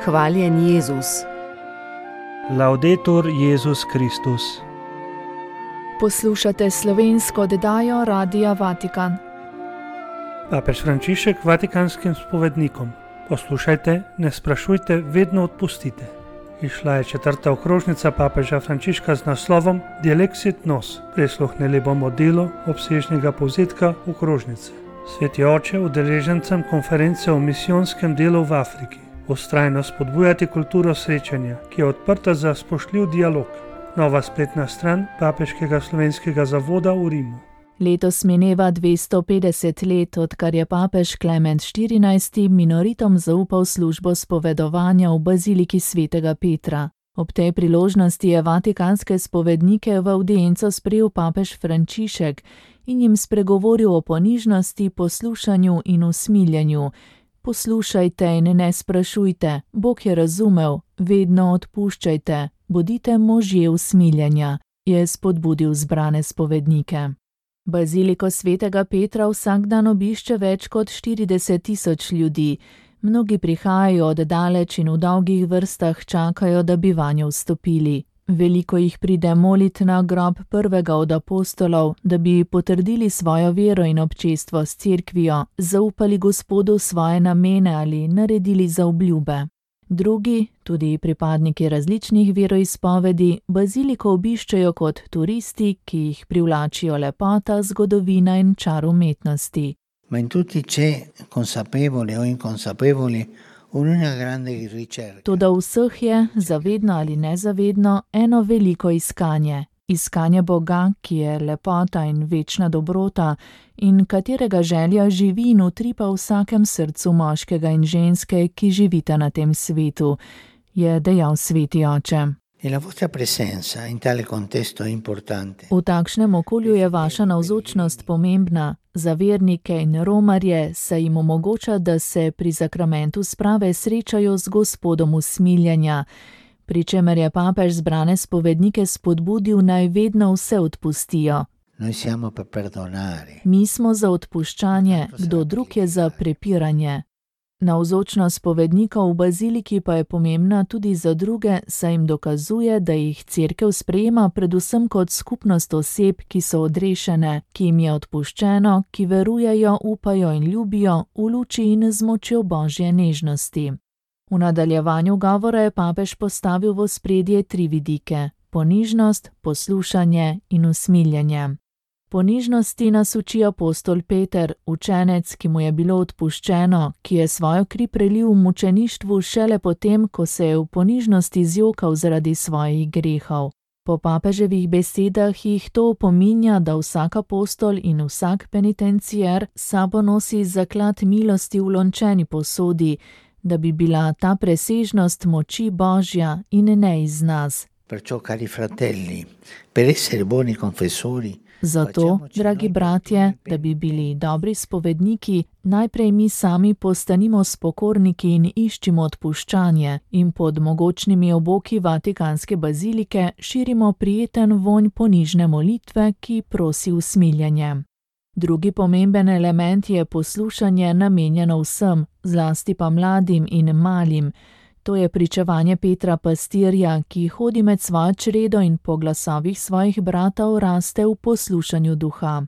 Hvaljen Jezus. Laudetur Jezus Kristus. Poslušate slovensko oddajo Radia Vatikan. Papež Frančišek vatikanskim spovednikom: poslušajte, ne sprašujte, vedno odpustite. Išla je 4. okrožnica papeža Frančiška z naslovom Dilexit nos. Prisluhnili bomo delu obsežnega povzetka okrožnice. Sveti oče udeležencem konference o misijonskem delu v Afriki: vztrajno spodbujati kulturo srečanja, ki je odprta za spoštljiv dialog. Nova spletna stran Papeškega slovenskega zavoda v Rimu. Letos mineva 250 let, odkar je papež Klement XIV minoritom zaupal službo spovedovanja v baziliki svetega Petra. Ob tej priložnosti je vatikanske spovednike v avdienco sprejel papež Frančišek in jim spregovoril o ponižnosti, poslušanju in usmiljenju. Poslušajte in ne sprašujte, Bog je razumel, vedno odpuščajte, bodite možje usmiljenja, je spodbudil zbrane spovednike. Baziliko svetega Petra vsak dan obišče več kot 40.000 ljudi. Mnogi prihajajo od daleč in v dolgih vrstah čakajo, da bi vanjo vstopili. Veliko jih pride molit na grob prvega od apostolov, da bi potrdili svojo vero in občestvo s cerkvijo, zaupali Gospodu svoje namene ali naredili zaobljube. Drugi, tudi pripadniki različnih veroizpovedi, baziliko obiščejo kot turisti, ki jih privlačijo lepota, zgodovina in čar umetnosti. Ma in tutti c'è, consapevoli o inconsapevoli, una grande ricerca. Toda vseh je, zavedno ali nezavedno, eno veliko iskanje. Iskanje Boga, ki je lepota in večna dobrota in katerega želja živi in utripa v vsakem srcu moškega in ženske, ki živita na tem svetu, je dejal sveti oče. E la vostra presenza in tale contesto è importante. V takšnem okolju je vaša navzočnost pomembna. Za vernike in romarje se jim omogoča, da se pri zakramentu sprave srečajo z Gospodom usmiljenja, pri čemer je papež zbrane spovednike spodbudil, naj vedno vse odpustijo. Noi siamo per perdonare. Mi smo za odpuščanje, kdo drug je za prepiranje. Navzočnost spovednikov v baziliki pa je pomembna tudi za druge, saj jim dokazuje, da jih cerkev sprejema predvsem kot skupnost oseb, ki so odrešene, ki jim je odpuščeno, ki verujejo, upajo in ljubijo v luči in z močjo Božje nežnosti. V nadaljevanju govora je papež postavil v ospredje 3 vidike: ponižnost, poslušanje in usmiljenje. Ponižnosti nas uči apostol Peter, učenec, ki mu je bilo odpuščeno, ki je svojo kri prelil v mučeništvu šele potem, ko se je v ponižnosti zjokal zaradi svojih grehov. Po papeževih besedah jih to opominja, da vsak apostol in vsak penitencier sabo nosi zaklad milosti v lončeni posodi, da bi bila ta presežnost moči Božja in ne iz nas. Perciò, cari fratelli, per essere buoni confessori, zato, dragi bratje, da bi bili dobri spovedniki, najprej mi sami postanimo spokorniki in iščimo odpuščanje in pod mogočnimi oboki vatikanske bazilike širimo prijeten vonj ponižne molitve, ki prosi usmiljenje. Drugi pomemben element je poslušanje namenjeno vsem, zlasti pa mladim in malim. To je pričevanje Petra pastirja, ki hodi med svojo čredo in po glasovih svojih bratov raste v poslušanju duha.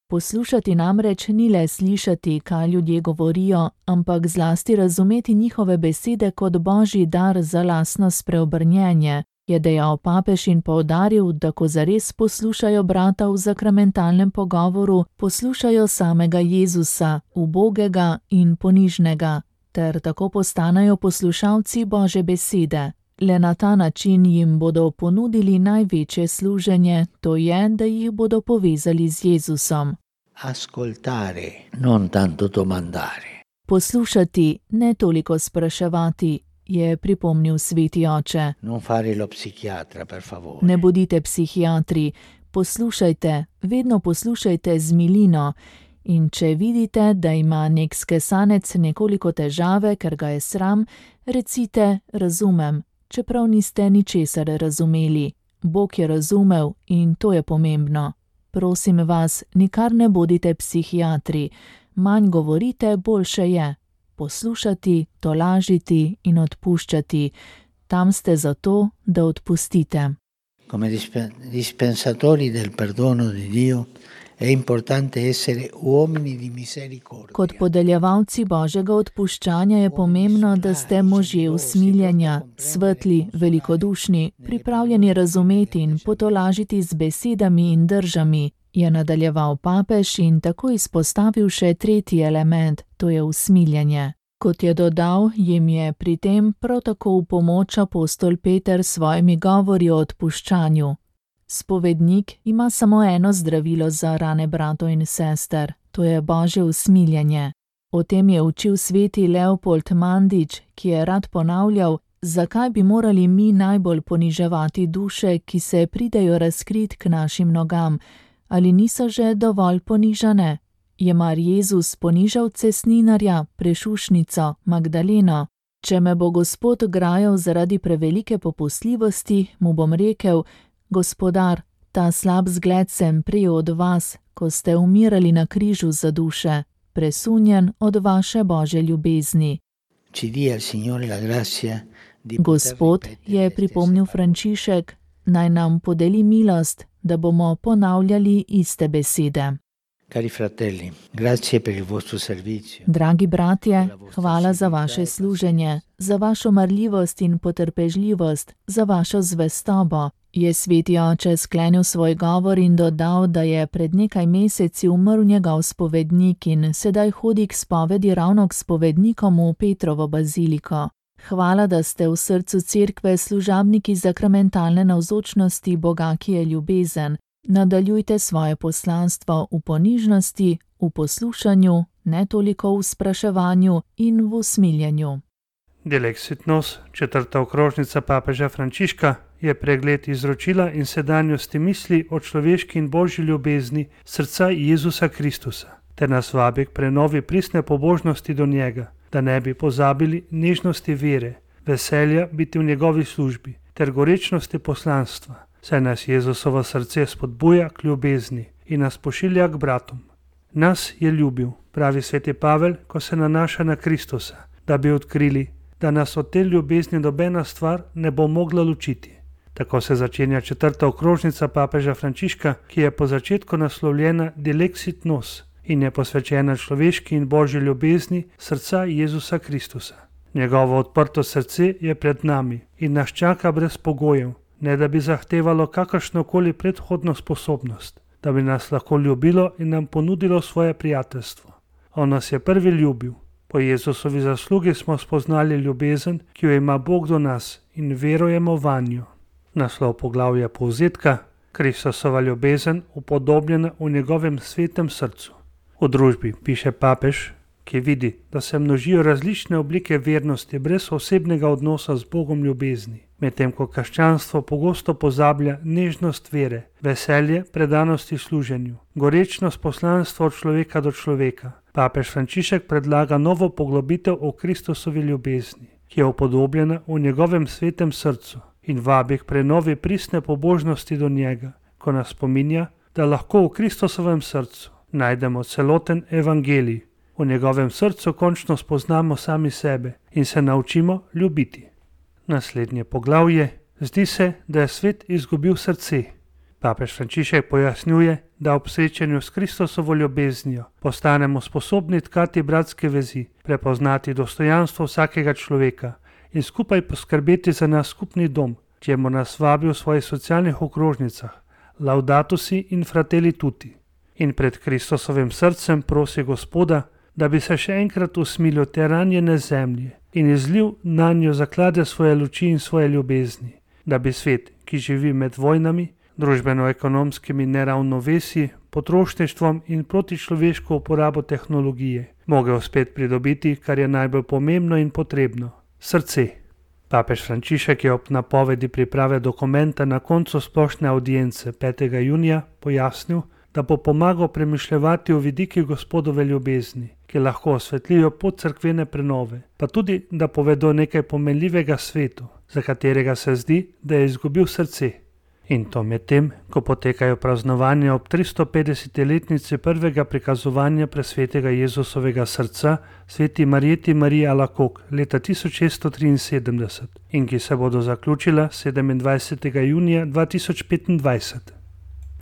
Poslušati namreč ni le slišati, kaj ljudje govorijo, ampak zlasti razumeti njihove besede kot Božji dar za lastno spreobrnjenje, je dejal papež in poudaril, da ko zares poslušajo brata v zakramentalnem pogovoru, poslušajo samega Jezusa, ubogega in ponižnega, ter tako postanejo poslušalci Božje besede. Le na ta način jim bodo ponudili največje služenje, to je, da jih bodo povezali z Jezusom. Ascoltare, non tanto domandare. Poslušati, ne toliko spraševati, je pripomnil sveti oče. Non fare lo psichiatra, per favore. Ne bodite psihiatri, poslušajte, vedno poslušajte z milino. In če vidite, da ima nek skesanec nekoliko težave, ker ga je sram, recite: razumem, čeprav niste ničesar razumeli. Bog je razumel in to je pomembno. Prosim vas, nikar ne bodite psihiatri, manj govorite, boljše je. poslušati, tolažiti in odpuščati. Tam ste zato, da odpustite. Come dispensatori del perdono di Dio è importante essere uomini di misericordia. Kot podeljevalci Božjega odpuščanja je pomembno, da ste možje usmiljenja, svetli, velikodušni, pripravljeni razumeti in potolažiti z besedami in držami, je nadaljeval papež in tako izpostavil še tretji element, to je usmiljenje. Kot je dodal, jim je pri tem prav tako v pomoč apostol Peter s svojimi govori o odpuščanju. Spovednik ima samo eno zdravilo za rane bratov in sester, to je Božje usmiljenje. O tem je učil sveti Leopold Mandič, ki je rad ponavljal, zakaj bi morali mi najbolj poniževati duše, ki se pridejo razkrit k našim nogam, ali niso že dovolj ponižane? Je mar Jezus ponižal cestninarja, prešušnico, Magdaleno? Če me bo Gospod grajal zaradi prevelike popustljivosti, mu bom rekel: Gospodar, ta slab zgled sem prejel od vas, ko ste umirali na križu za duše, presunjen od vaše Božje ljubezni. Gospod, je pripomnil Frančišek, naj nam podeli milost, da bomo ponavljali iste besede. Cari fratelli, grazie per il vostro servizio. Dragi bratje, hvala za vaše služenje, za vašo marljivost in potrpežljivost, za vašo zvestobo, je sveti oče sklenil svoj govor in dodal, da je pred nekaj meseci umrl njegov spovednik in sedaj hodi k spovedi ravno k spovednikom v Petrovo baziliko. Hvala, da ste v srcu cerkve služabniki sakramentalne navzočnosti Boga, ki je ljubezen. Nadaljujte svoje poslanstvo v ponižnosti, v poslušanju, ne toliko v spraševanju in v usmiljenju. Dilexit Nos, četrta okrožnica papeža Frančiška, je pregled izročila in sedanjosti misli o človeški in božji ljubezni srca Jezusa Kristusa, ter nas vabi k prenovi pristne pobožnosti do njega, da ne bi pozabili nežnosti vere, veselja biti v njegovi službi ter gorečnosti poslanstva, saj nas Jezusovo srce spodbuja k ljubezni in nas pošilja k bratom. Nas je ljubil, pravi sveti Pavel, ko se nanaša na Kristusa, da bi odkrili, da nas od te ljubezni nobena stvar ne bo mogla ločiti. Tako se začenja četrta okrožnica papeža Frančiška, ki je po začetku naslovljena Dilexit Nos in je posvečena človeški in božji ljubezni srca Jezusa Kristusa. Njegovo odprto srce je pred nami in nas čaka brez pogojev, ne da bi zahtevalo kakršnokoli predhodno sposobnost, da bi nas lahko ljubilo in nam ponudilo svoje prijateljstvo. On nas je prvi ljubil. Po Jezusovi zaslugi smo spoznali ljubezen, ki jo ima Bog do nas in verujemo vanjo. Naslov poglavja povzetka: Kristusova ljubezen upodobljena v njegovem svetem srcu. V družbi, piše papež, ki vidi, da se množijo različne oblike vernosti brez osebnega odnosa z Bogom ljubezni, medtem ko krščanstvo pogosto pozablja nežnost vere, veselje predanosti služenju, gorečnost poslanstva od človeka do človeka. Papež Frančišek predlaga novo poglobitev o Kristusovi ljubezni, ki je upodobljena v njegovem svetem srcu in vabi k prenovi pristne pobožnosti do njega, ko nas spominja, da lahko v Kristusovem srcu najdemo celoten evangelij. V njegovem srcu končno spoznamo sami sebe in se naučimo ljubiti. Naslednje poglavje: Zdi se, da je svet izgubil srce. Papež Frančišek pojasnjuje, da ob srečanju s Kristusovo ljubeznijo postanemo sposobni tkati bratske vezi, prepoznati dostojanstvo vsakega človeka in skupaj poskrbeti za naš skupni dom, čemur nas vabi v svojih socialnih okrožnicah, Laudato si in Fratelli tutti. In pred Kristusovim srcem prosi Gospoda, da bi se še enkrat usmilil te ranjene zemlje in izlil nanjo zaklade svoje luči in svoje ljubezni, da bi svet, ki živi med vojnami, družbeno-ekonomskimi neravnovesji, potrošništvom in protičloveško uporabo tehnologije, mogel spet pridobiti, kar je najbolj pomembno in potrebno: srce. Papež Frančišek je ob napovedi priprave dokumenta na koncu splošne audience 5. junija pojasnil, da bo pomagal premišljevati o vidikih Gospodove ljubezni, ki lahko osvetlijo pot cerkvene prenove, pa tudi, da povedo nekaj pomenljivega svetu, za katerega se zdi, da je izgubil srce. In to medtem, ko potekajo praznovanja ob 350-letnici prvega prikazovanja presvetega Jezusovega srca sveti Marjeti Mariji Alacoque leta 1673 in ki se bodo zaključila 27. junija 2025.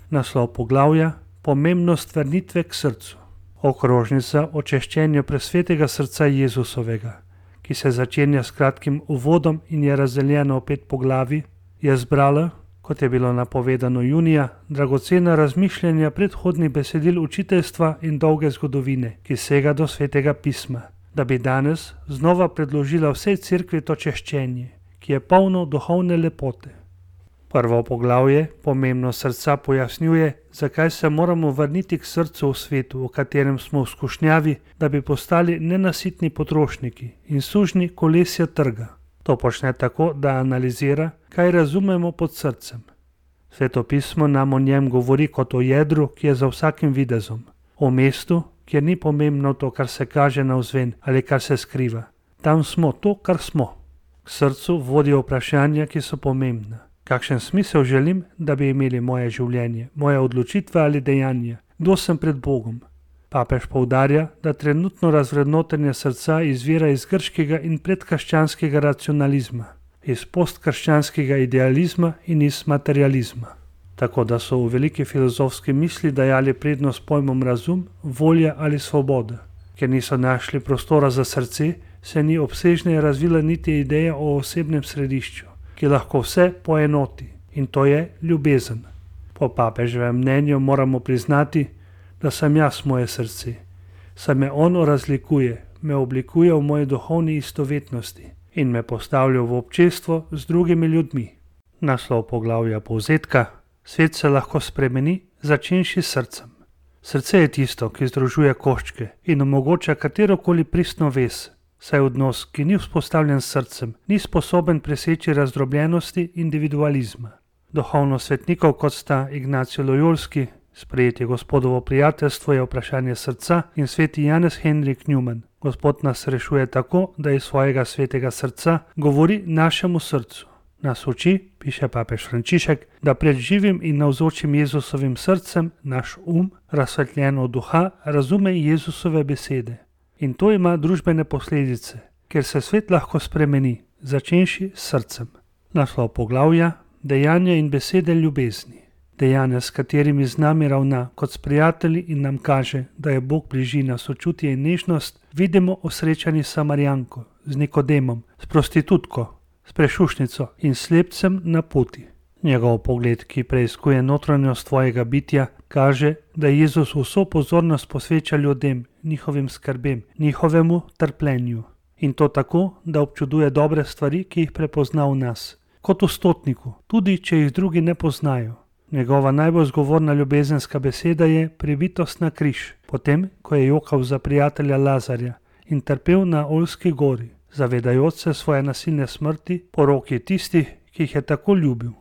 Naslov poglavja: Pomembnost vrnitve k srcu. Okrožnica o češčenju presvetega srca Jezusovega, ki se začenja s kratkim uvodom in je razdeljena v 5 poglavij, je zbrala, kot je bilo napovedano junija, dragocena razmišljanja predhodnih besedil učiteljstva in dolge zgodovine, ki sega do svetega pisma, da bi danes znova predložila vsej cerkvi to češčenje, ki je polno duhovne lepote. Prvo poglavje, pomembnost srca, pojasnjuje, zakaj se moramo vrniti k srcu v svetu, v katerem smo v skušnjavi, da bi postali nenasitni potrošniki in sužnji kolesja trga. To počne tako, da analizira, kaj razumemo pod srcem. Sveto pismo nam o njem govori kot o jedru, ki je za vsakim videzom, o mestu, kjer ni pomembno to, kar se kaže navzven ali kar se skriva. Tam smo to, kar smo. K srcu vodijo vprašanja, ki so pomembna. Kakšen smisel želim, da bi imeli moje življenje, moje odločitve ali dejanja? Kdo sem pred Bogom? Papež poudarja, da trenutno razvrednotenje srca izvira iz grškega in predkrščanskega racionalizma, iz postkrščanskega idealizma in iz materializma. Tako da so v veliki filozofski misli dajali prednost pojmom razum, volja ali svoboda. Ker niso našli prostora za srce, se ni obsežneje razvila niti ideja o osebnem središču, ki lahko vse poenoti, in to je ljubezen. Po papeževem mnenju moramo priznati, da sem jaz moje srce. Saj me ono razlikuje, me oblikuje v moji duhovni istovetnosti in me postavlja v občestvo z drugimi ljudmi. Naslov poglavja povzetka: Svet se lahko spremeni, začenši s srcem. Srce je tisto, ki združuje koščke in omogoča katerokoli pristno vez, saj odnos, ki ni vzpostavljen s srcem, ni sposoben preseči razdrobljenosti individualizma. Duhovno svetnikov, kot sta Ignacio Loyolski, sprejeti Gospodovo prijateljstvo je vprašanje srca, in sveti Janez Henrik Newman. Gospod nas rešuje tako, da iz svojega svetega srca govori našemu srcu. Nas uči, piše papež Frančišek, da pred živim in navzočim Jezusovim srcem naš razsvetljeno duha, razume Jezusove besede. In to ima družbene posledice, ker se svet lahko spremeni, začenši s srcem. Naslov poglavja: Dejanja in besede ljubezni. Dejanja, s katerimi z nami ravna kot s prijatelji in nam kaže, da je Bog bližina, sočutje in nežnost, vidimo v srečanji s Samarijanko, z Nikodemom, s prostitutko, s prešušnico in slepcem na poti. Njegov pogled, ki preiskuje notranjost tvojega bitja, kaže, da Jezus vso pozornost posveča ljudem, njihovim skrbem, njihovemu trpljenju. In to tako, da občuduje dobre stvari, ki jih prepozna v nas, kot v stotniku, tudi če jih drugi ne poznajo. Njegova najbolj zgovorna ljubezenska beseda je pribitost na križ, potem, ko je jokal za prijatelja Lazarja in trpel na Oljski gori, zavedajoč se svoje nasilne smrti po roki tistih, ki jih je tako ljubil.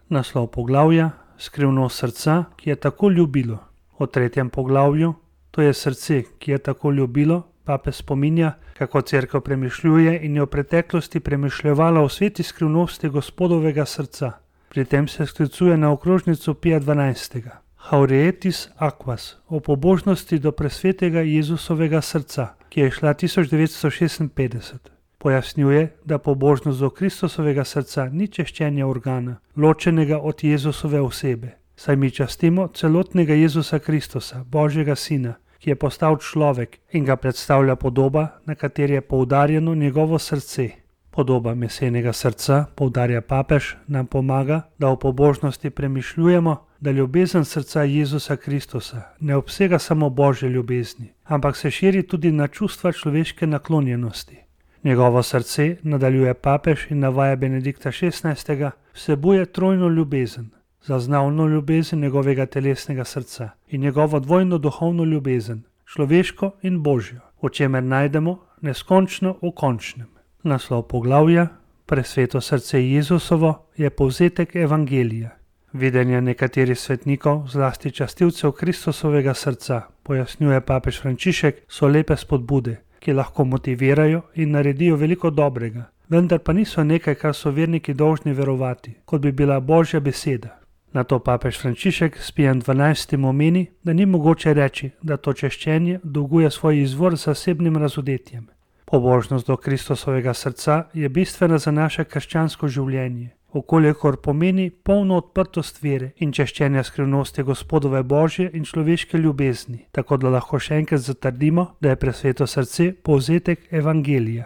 Naslov poglavja: Skrivnost srca, ki je tako ljubilo. O tretjem poglavju, to je srce, ki je tako ljubilo, papež spominja, kako cerkev premišljuje in je v preteklosti premišljevala o sveti skrivnosti Gospodovega srca. Pri tem se sklicuje na okrožnico Pija XII. Haurietis Aquas, o pobožnosti do presvetega Jezusovega srca, ki je šla 1956. Pojasnjuje, da pobožnost do Kristusovega srca ni češčenje organa, ločenega od Jezusove osebe, saj mi častimo celotnega Jezusa Kristusa, Božjega Sina, ki je postal človek in ga predstavlja podoba, na kateri je poudarjeno njegovo srce. Podoba mesenega srca, poudarja papež, nam pomaga, da v pobožnosti premišljujemo, da ljubezen srca Jezusa Kristusa ne obsega samo Božje ljubezni, ampak se širi tudi na čustva človeške naklonjenosti. Njegovo srce, nadaljuje papež in navaja Benedikta XVI., vsebuje trojno ljubezen, zaznavno ljubezen njegovega telesnega srca in njegovo dvojno duhovno ljubezen, človeško in božjo, v čemer najdemo neskončno v končnem. Naslov poglavja: Presveto srce Jezusovo je povzetek evangelija. Videnja nekaterih svetnikov, zlasti častilcev Kristusovega srca, pojasnjuje papež Frančišek, so lepe spodbude, ki lahko motivirajo in naredijo veliko dobrega, vendar pa niso nekaj, kar so verniki dolžni verovati, kot bi bila Božja beseda. Na to papež Frančišek s Pijem XII. Omeni, da ni mogoče reči, da to češčenje dolguje svoj izvor zasebnim razodetjem. Pobožnost do Kristusovega srca je bistvena za naše krščansko življenje, okolikor pomeni polno odprtost vere in češčenja skrivnosti Gospodove Božje in človeške ljubezni, tako da lahko še enkrat zatrdimo, da je presveto srce povzetek evangelija.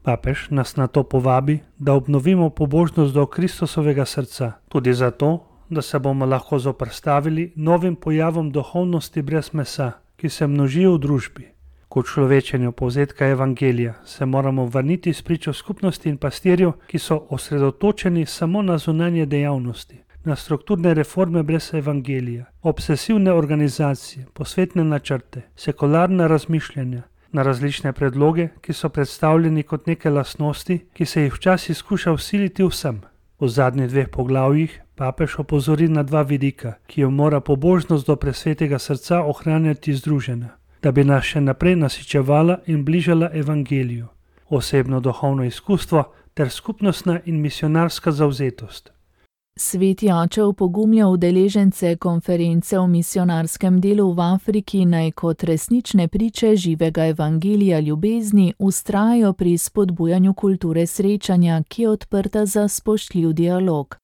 Papež nas na to povabi, da obnovimo pobožnost do Kristusovega srca, tudi zato, da se bomo lahko zoperstavili novim pojavom duhovnosti brez mesa, ki se množijo v družbi. K človečenju povzetka evangelija se moramo vrniti s pričo skupnosti in pastirjev, ki so osredotočeni samo na zunanje dejavnosti, na strukturne reforme brez evangelija, obsesivne organizacije, posvetne načrte, sekularna razmišljanja, na različne predloge, ki so predstavljeni kot neke lastnosti, ki se jih včasih skuša vsiliti vsem. V zadnjih 2 poglavjih papež opozori na 2 vidika, ki jo mora pobožnost do presvetega srca ohranjati združena, da bi nas še naprej nasičevala in bližala evangeliju, osebno duhovno izkustvo ter skupnostna in misionarska zavzetost. Sveti oče opogumlja udeležence konference o misionarskem delu v Afriki, naj kot resnične priče živega evangelija ljubezni vztrajajo pri spodbujanju kulture srečanja, ki je odprta za spoštljiv dialog.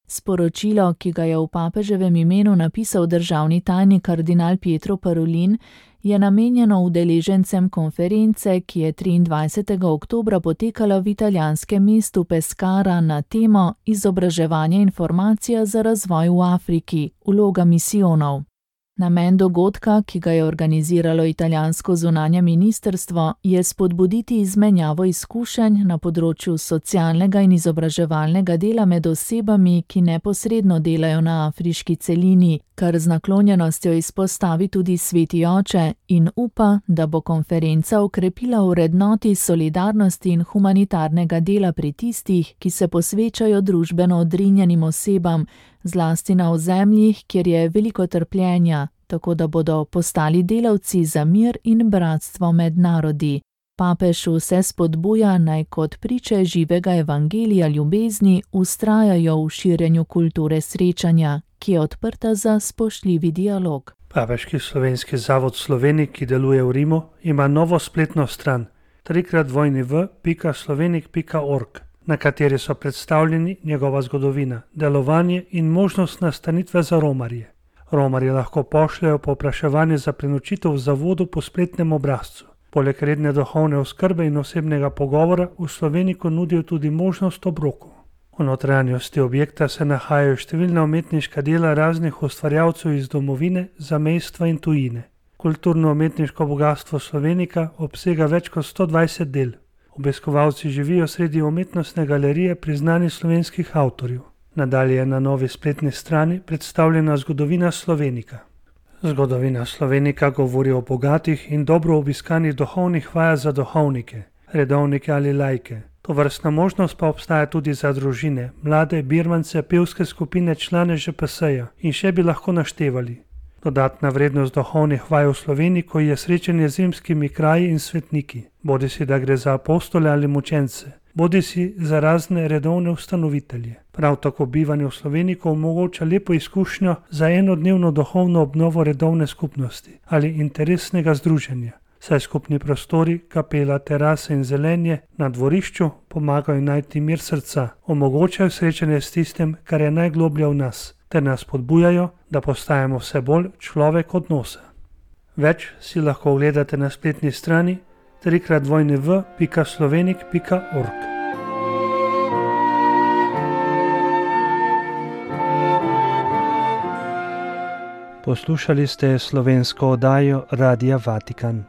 Sporočilo, ki ga je v papeževem imenu napisal državni tajnik kardinal Pietro Parolin, je namenjeno udeležencem konference, ki je 23. oktobra potekala v italijanskem mestu Pescara na temo Izobraževanje in formacija za razvoj v Afriki, vloga misijonov. Namen dogodka, ki ga je organiziralo italijansko zunanje ministrstvo, je spodbuditi izmenjavo izkušenj na področju socialnega in izobraževalnega dela med osebami, ki neposredno delajo na afriški celini, kar z naklonjenostjo izpostavi tudi sveti oče in upa, da bo konferenca okrepila vrednoti solidarnosti in humanitarnega dela pri tistih, ki se posvečajo družbeno odrinjenim osebam, zlasti na ozemljih, kjer je veliko trpljenja, tako da bodo postali delavci za mir in bratstvo med narodi. Papež vse spodbuja, naj kot priče živega evangelija ljubezni vztrajajo v širjenju kulture srečanja, ki je odprta za spoštljivi dialog. Papeški slovenski zavod v Sloveniji, ki deluje v Rimu, ima novo spletno stran www.slovenik.org, na kateri so predstavljeni njegova zgodovina, delovanje in možnost nastanitve za romarje. Romarji lahko pošljajo povpraševanje za prenočitev v zavodu po spletnem obrazcu. Poleg redne duhovne oskrbe in osebnega pogovora v Sloveniku nudijo tudi možnost obrokov. V notranjosti objekta se nahajajo številna umetniška dela raznih ustvarjalcev iz domovine, zamejstva in tujine. Kulturno-umetniško bogastvo Slovenika obsega več kot 120 del. Obiskovalci živijo sredi umetnostne galerije priznanih slovenskih avtorjev. Nadalje je na novi spletni strani predstavljena zgodovina Slovenika. Zgodovina Slovenika govori o bogatih in dobro obiskanih duhovnih vajah za duhovnike, redovnike ali laike. Tovrstna možnost pa obstaja tudi za družine, mlade, birmance, pevske skupine, člane ŽPS-ja in še bi lahko naštevali. Dodatna vrednost duhovnih vaj v Sloveniku je srečanje z rimskimi kraji in svetniki, bodisi da gre za apostole ali mučence, bodisi za razne redovne ustanovitelje. Prav tako bivanje v Sloveniku omogoča lepo izkušnjo za enodnevno duhovno obnovo redovne skupnosti ali interesnega združenja, saj skupni prostori, kapela, terase in zelenje na dvorišču pomagajo najti mir srca, omogočajo srečanje s tistim, kar je najgloblje v nas, ter nas podbujajo, da postajamo vse bolj človek odnosa. Več si lahko ogledate na spletni strani www.slovenik.org. Poslušali ste slovensko oddajo Radia Vatikan.